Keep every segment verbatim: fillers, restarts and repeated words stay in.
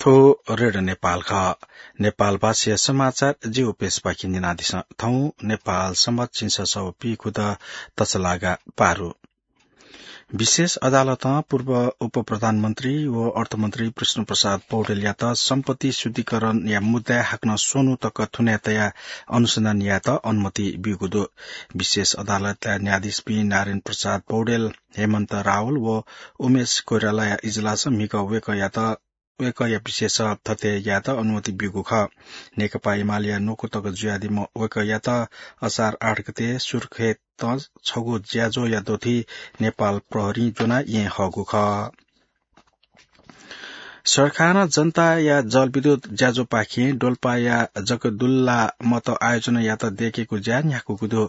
थ्व रेडियो नेपाल खः। नेपाल भाषाया समाचार जिगु पेजपाखें न्यनादिसँ। थौं नेपाल संवत् झिंछसः व पीखुदँ तछलागा पारु। विशेष अदालतं पूर्व उपप्रधानमन्त्री व अर्थमन्त्री विष्णुप्रसाद पौडेलयात सम्पत्ति शुद्धिकरणया मुद्दाय् हाकनं स्वन्हु तक थुनाय् तयाः अनुसन्धान यायेत अनुमति ब्यूगु दु। विशेष अदालतया न्यायाधीशपिं नारायण प्रसाद पौडेल, हेमन्त रावल व उमेश कोइरालाया इजलासं म्हिगः वय्कःयात वय्कःया विषयय् छलफल यायेत अनुमति ब्यूगु खः। नेकपा एमालेया न्वकू तक जुयादीम्ह वय्कःयात असार आठ गते सुर्खेतं छगू ज्याझ्वःया दथुइ नेपाल प्रहरीं ज्वनाः येँ हःगु खः। सरकारं जनताया जलविद्युत ज्याझ्वःपाखें डोल्पाया जगदुल्ला मत आयोजनायात दय्केगु ज्या न्ह्याकूगु दु।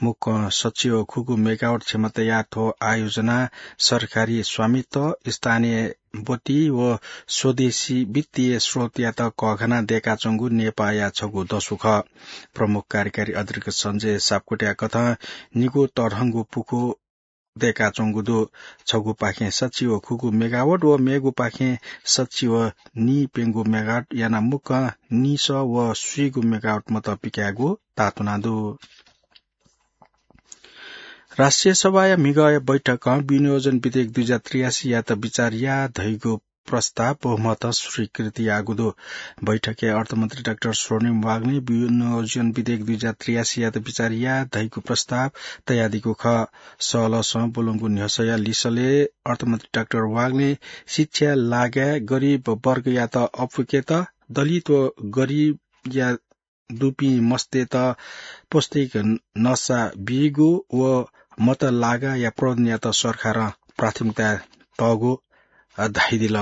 मुक्कं सच्छि व खुगू मेगावाट क्षमताया थ्व आयोजना सरकारी स्वामित्व, स्थानीय बत्ती व स्वदेशी वित्तीय स्रोतयात कःघानाः दय्काच्वंगु नेपाःया छगू दसु खः। प्रमुख कार्यकारी अधिकृत सञ्जय सापकोटाया कथं निगू तःधंगु पुखू दय्काच्वंगु दु। छगूपाखें सच्छि व खुगू मेगावाट व मेगूपाखें सच्छि व नीप्यंगू मेगावाट यानाः मुक्कं नीसः व स्वीगू मेगावाट मत पिकायेगु ताःतुना दु। राष्ट्रिय सभाया म्हिगःया बैठकं विनियोजन विधेयक दुई हजार त्रियासीयात बिचार याः धइगु प्रस्ताव बहुमतं स्वीकृति याःगु दु। बैठकय् अर्थमन्त्री डाक्टर स्वर्णिम वाग्लें विनियोजन विधेयक दुई हजार त्रियासीयात बिचार याः धइगु प्रस्ताव तयादीगु खः। सहलहसं ब्वलंगु न्ह्यसःया लिसलय् अर्थमन्त्री डाक्टर वाग्लें शिक्षाया लागाय् गरिब वर्गयात अपुकेत, दलित व गरिबया दुपिं मस्तय्त पौष्टिक नसा बीगु व मत लागाया प्रबन्धनयात सरकारं प्राथमिकता तःगु, अ, धाइदिल।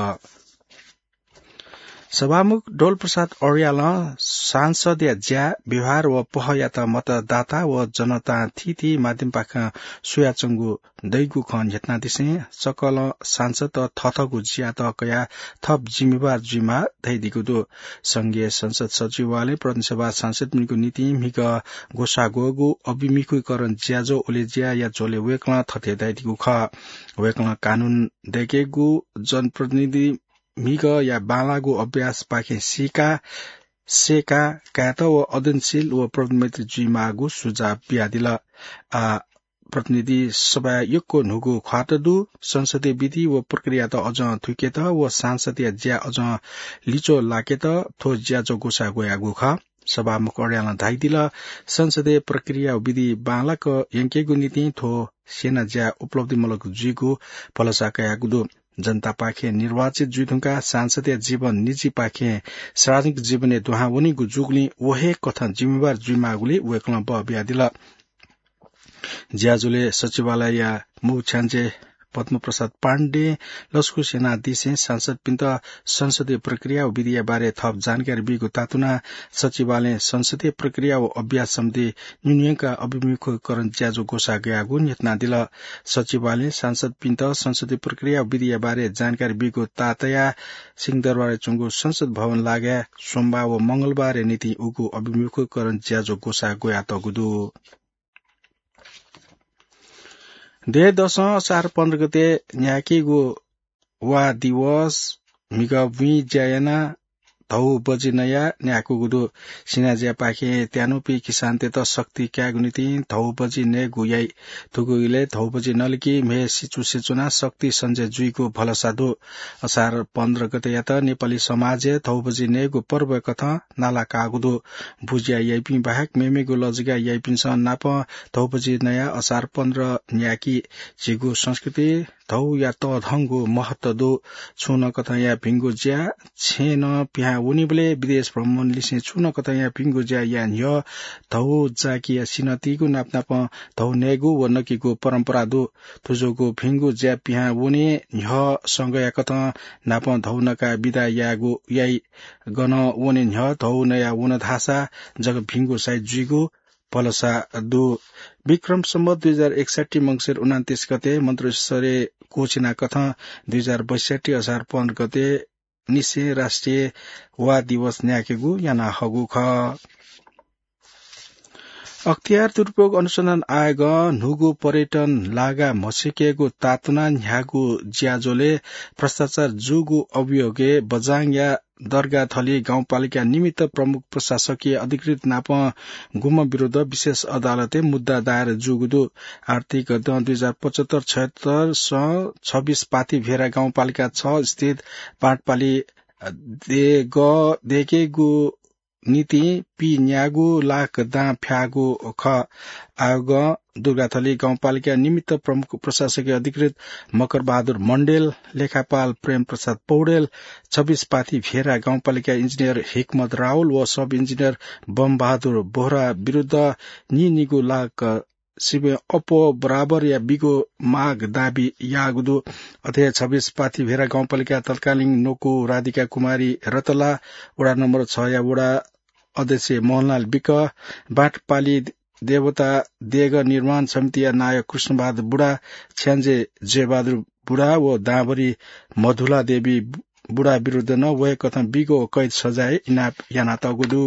सभामुख डोलप्रसाद अर्यालं सांसदया ज्या, व्यवहार व पहःयात मतदाता व जनतां थीथी माध्यमपाखें स्वयाच्वंगु दइगु खँ न्ह्यथनादिसें सकलं सांसदत थःथःगु ज्यात कयाः थप जिम्मेवार जुइमाः धयादीगु दु। संघीय संसद सचिवालयं प्रतिनिधि सभा सांसदपिनिगु निंतिं म्हिगः ग्वसाः ग्वःगु अभिमुखीकरण ज्याझ्वः उलेज्याया झ्वलय् वय्कलं थथे धयादीगु खः। वय्कलं कानून दय्केगु जनप्रतिनिधि म्हिगःया बांलाःगु अभ्यासपाखें सीका, सेका कायेत व अध्ययनशील व प्रबन्धमैत्री जुइमाःगु सुझाव बियादिल। आः प्रतिनिधि सभाय् यक्व न्हूगु ख्वात दु। संसदीय विधि व प्रक्रियात अझं थुइकेत व सांसदया ज्या अझं लिच्वः लाकेत थ्व ज्याझ्वः ग्वसाः ग्वयागु खः। सभामुख अर्यालं धाइदिल, संसदीय प्रक्रिया व विधि बांलाक यंकेगु निंतिं थ्व स्यना ज्या उपलब्धिमूलक जुइगु भलसा कयागु दु। जनतापाखें निर्वाचित जुइधुंकाः सांसदया जीवन निजीपाखें सार्वजनिक जीवनय् दुहां वनीगु जूगुलिं व हे कथं जिम्मेवार जुइमाःगुलिइ वय्कलं बः बियादिल। ज्याझ्वलय् सचिवालयया मू छ्याञ्जे पद्मप्रसाद पाण्डें लसकुस यानादिसें सांसदपिन्त संसदीय प्रक्रिया व विधिया बारे थप जानकारी बीगु तातुनाः सचिवालयं संसदीय प्रक्रिया व अभ्यास सम्बन्धी न्यून्यंका अभिमुखीकरण ज्याझ्वः ग्वसाः ग्वयागु न्ह्यथनादिल। सचिवालयं सांसदपिन्त संसदीय प्रक्रिया व विधिया बारे जानकारी बीगु ताःतयाः सिंहदरबारय् च्वंगु संसद भवन लागाय् सोमबार व मंगलबारया निंतिं उगु अभिमुखीकरण ज्याझ्वः ग्वसाः ग्वयातःगु दु। देय् दसं असार पन्ध्र गते न्यायेकेगु वा दिवस म्हिगः बुँइ ज्या यानाः धौ बजि नयाः न्यायेकूगु दु। सिनाज्यापाखें त्यानुपिं किसानतय्त शक्ति कायेगु निंतिं धौ बजि नयेगु याइ। थुगु इलय् धौ बजि नलिकी म्हय् सिचुसे च्वनाः शक्ति सञ्चय जुइगु भलसा दु। असार पन्ध्र गतेयात नेपाली समाजय् धौ बजि नयेगु पर्वया कथं नाला काःगु दु। बुज्या याइपिं बाहेक मेमेगु लजगाः याइपिन्सं नापं धौ बजि नयाः असार पन्ध्र न्यायेकी। झीगु संस्कृतिइ धौया तःधंगु महत्व दु। छुं नं कथंया भिंगु ज्या छेँनं पिहां वनीबलय् विदेश भ्रमणलिसें छुं नं कथंया भिंगु ज्या याये न्ह्यः धौ जाकिया सिन्हःतीगु नापनापं धौ नयेगु व नकेगु परम्परा दु। थुजूगु भिंगु ज्या पिहां वने न्ह्यः संघया कथं नापं धौ नकाः बिदा यायेगु याइ। गनं वने न्ह्यः धौ नयाः वन धाःसा जक भिंगु साइत जुइगु भलसा दु। विक्रम सम्वत दुई हजार एकसट्ठी मंसिर उनान्तिस गते मन्त्रिसरय् क्वःछिना कथं दुई हजार बैसट्ठी असार पन्ध्र गते निसें राष्ट्रिय वा दिवस न्यायेकेगु याना हःगु खः। अख्तियार दुरुपयोग अनुसन्धान आयोगं न्हूगु पर्यटन लागा म्हसीकेगु तातुना न्ह्यागु ज्याझ्वलय् भ्रष्टाचार जूगु अभियोगय् बझाङया दरगाथली गाउँपालिका निमित्त प्रमुख प्रशासकीय अधिकृत नाप गुम्ह विरुद्ध विशेष अदालतय् मुद्दा दायर जूगु दु। आर्थिक गदँ दुई हजार पचहत्तर छयहत्तर सं छब्बीस पाथी भेरा गाउँपालिका छ स्थित बाँटपाली देग देकेगु निंतिं पीन्यागू लाख दां फ्याःगु खः। आयोगं दुर्गाथली गाउँपालिका निमित्त प्रमुख प्रशासकीय अधिकृत मकर बहादुर मण्डेल, लेखापाल प्रेम प्रसाद पौडेल, छब्बीस पाथी भेरा गाउँपालिका इन्जिनियर हिक्मत रावल व सब इन्जिनियर बम बहादुर बोहरा विरुद्ध नीनिगू लाख सिबें अप्वः बराबरया बिगो माग दाबी याःगु दु। अथे छब्बीस पाथी भेरा गाउँपालिका तत्कालीन नकु राधिका कुमारी रतला, वडा नम्बर छया वडा अध्यक्ष मोहनलाल विक, बाँटपाली देवता देग निर्माण समितिया नायक कृष्णबहादुर बुढा, छ्याञ्जे जयबहादुर बुढा व दाँभरि मधुला देवी बुढा विरुद्ध नं वय्कथं बिगो कैद सजाय इनाप यानातःगु दु।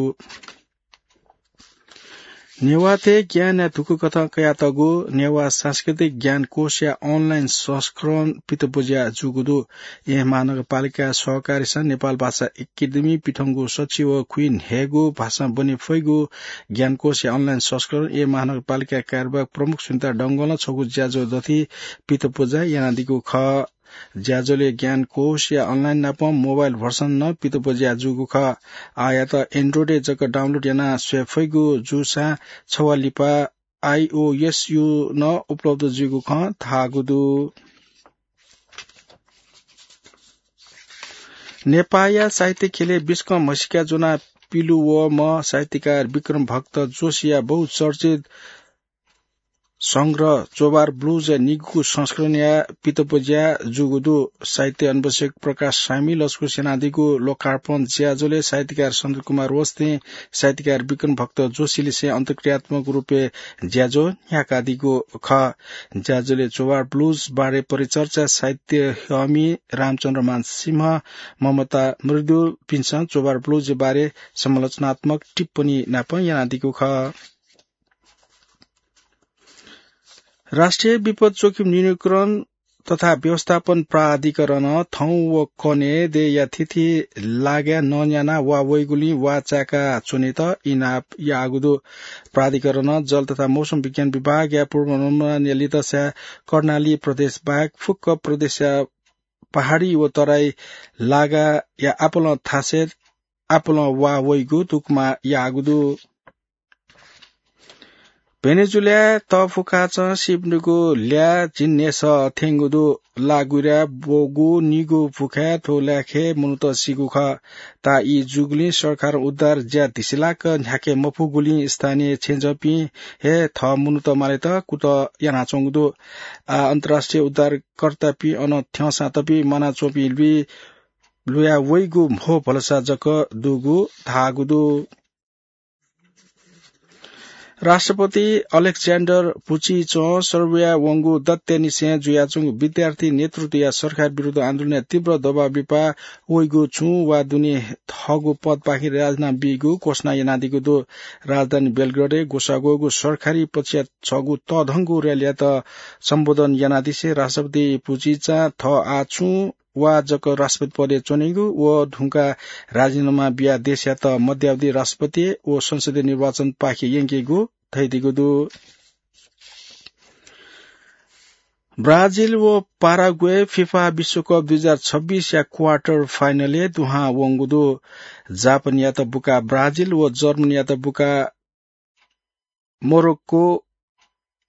नेवाःतय् ज्ञानया धुकुकथं कयातःगु नेवाः सांस्कृतिक ज्ञानकोशया online संस्करण पितब्वज्या जूगु दु। येँ महानगरपालिका सहकारीसं नेपाल भाषा एकेडेमी पिथंगु सच्छि व खुइन्हय्गू भाषां ब्वने फइगु ज्ञानकोशया online संस्करण येँ महानगरपालिका कार्यवाहक प्रमुख सुनिता डंगोलं छगू ज्याझ्वः दथुइ पितब्वज्या यानादीगु खः। ज्याझ्वलय् ज्ञानकोशया online नाप mobile version नं पितब्वज्या जूगु खः। आःयात Android-य् जक download यानाः स्वये फइगु जूसां छवाः लिपा iOS-य् नं उपलब्ध जुइगु खँ धाःगु दु। नेपाःया साहित्य ख्यलय् बिस्कं म्हसीका ज्वनाः पिलु वःम्ह साहित्यकार विक्रम भक्त जोशीया बहुचर्चित संग्रह चोभार ब्लुजया निगूगु संस्करणया पितब्वज्या जूगु दु। साहित्य अन्वेषक प्रकाश सामी लसकुस यानादीगु लोकार्पण ज्याझ्वलय् साहित्यकार सनत कुमार वस्तें साहित्यकार विक्रम भक्त जोशीलिसें अन्तर्क्रियात्मक रूपय् ज्याझ्वः न्ह्याकादीगु खः। ज्याझ्वलय् चोभार ब्लुज बारे परिचर्चा साहित्य ह्यःमि रामचन्द्रमान सिंह, ममता मृदुलपिन्सं चोभार ब्लुज बारे समालोचनात्मक टिप्पणी नाप यानादीगु खः। राष्ट्रिय विपद जोखिम न्यूनीकरण तथा व्यवस्थापन प्राधिकरणं थौं व कन्हय् देय्‌या थीथी लागाय् नन्यानाः वा वइगुलिं वा चाय्‌का च्वनेत इनाप याःगु दु। प्राधिकरणं जल तथा मौसम विज्ञान विभागया पूर्वानुमानया लिधंसाय् कर्णाली प्रदेश बाहेक फुक्क प्रदेशया पहाडी व तराई लागाया आपालं थासय् आपालं वा वइगु धुकुमा याःगु दु। भेनेजुलाय् तःफुकाचं सीपिनिगु ल्याः झिंन्हय्‌सः थ्यंगु दु। लाः गुइराय् ब्वःगु निगू फुखाय् थ्व ल्याखय् मनूत सीगु खः। ताः ई जूगुलिं सरकारं उद्धार ज्या धिसिलाक न्ह्याके मफुगुलिं स्थानीय छेँजःपिं हे थः मनूत मालेत कुतः यानाच्वंगु दु। आः अन्तर्राष्ट्रिय उद्धारकर्तापिं अन थ्यंसां तपिं म्वानाच्वंपिं लुइ लुया वइगु म्हो भलसा जक दुगु धाःगु दु। राष्ट्रपति अलेक्जेन्डर भुचिचं सर्बियाय् वंगु दत्तय्‌निसें जुयाच्वंगु विद्यार्थी नेतृत्वया सरकार विरुद्ध आन्दोलनय् तीव्र दबाव लिपा वइगु छुं वा दुने थःगु पदपाखें राजीनामा बीगु घोषणा यानादीगु दु। राजधानी बेलग्रेडय् ग्वसाः ग्वःगु सरकारी पक्षया छगू तःधंगु र्‍यालीयात सम्बोधन यानादिसें राष्ट्रपति भुचिचां थः आः छुं वा जक राष्ट्रपति पदय् च्वनेगु व धुंकाः राजीनामा बियाः देशयात मध्यावधि राष्ट्रपति व संसदीय निर्वाचनपाखे यंकेगु धयादीगु दु। ब्राजिल व पाराग्वे फिफा विश्वकप दुई हजार छब्बीसया quarter final-य् दुहां वंगु दु। जापानयात बुकाः ब्राजिल व जर्मनीयात बुकाः मोरोक्को,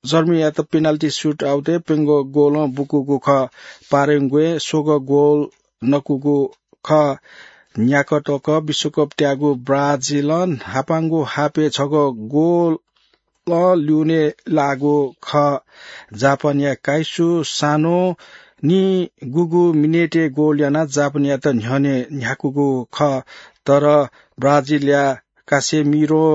जर्मनीयात penalty shootout-य् प्यंगू गोलं बुकूगु खः। पाराग्वें स्वंगू गोल नकूगु खः। न्याकः तक विश्वकप त्याःगु ब्राजिलं न्हापांगु हाफय् छगू गोल ल्यूने लाःगु खः। जापानया काइसु सानों निगूगु मिनेटय् गोल यानाः जापानयात न्ह्यःने न्ह्याकूगु खः। तर ब्राजिलया कासेमिरों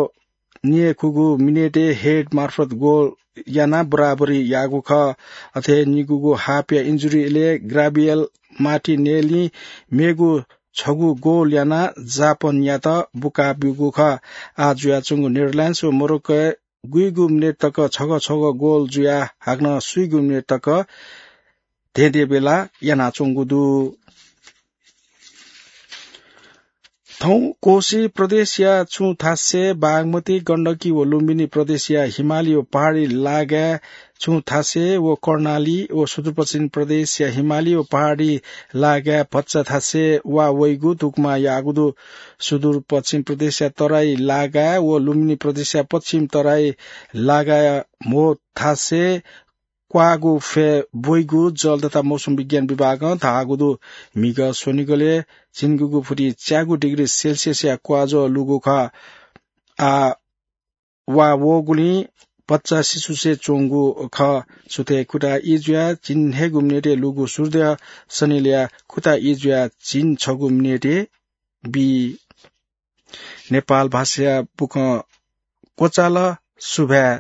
निगूगु मिनेटय् head मार्फत गोल यानाः बराबरी याःगु खः। अथे निगूगु हाफया injury इलय् गाब्रिएल मार्टिनेल्लीं मेगु छगू गोल यानाः जापानयात बुकाब्यूगु खः। आः जुयाच्वंगु नेदरल्याण्ड्स व मोरोक्कोय् गुइगु मिनेट तक छगः छगः गोल जुयाः हाकनं स्वीगू मिनेट तक धेंधेंबेला यानाच्वंगु दु। थौं कोशी प्रदेशया छुं थासय् बागमती, गण्डकी व लुम्बिनी प्रदेशया हिमाली व पहाडी लागाय् छुं थासय् व कर्णाली व सुदूरपश्चिम प्रदेशया हिमाली व पहाडी लागाय् भचा थासय् वा वइगु धुकुमा याःगु दु। सुदूरपश्चिम प्रदेशया तराई लागाय् व लुम्बिनी प्रदेशया पश्चिम तराई लागाय् म्हो थासय् क्वाःगु फय् ब्वइगु जल तथा मौसम विज्ञान विभागं धाःगु दु। म्हिगः स्वनिगलय् झिंगुगु फुति च्यागू डिग्री सेल्सियसया क्वाःज्वः लूगु खः। आ, वा वःगुलिं भचा सिसुसे च्वंगु खः। सुथय् खुता ई जुयाः झिंन्हय्‌गू मिनेटय् लूगु सूर्योदय सनिलया खुता ई जुयाः झिंछगू मिनेटय् बी। नेपाल भाषाया बुकं क्वचाल। सुभाय्।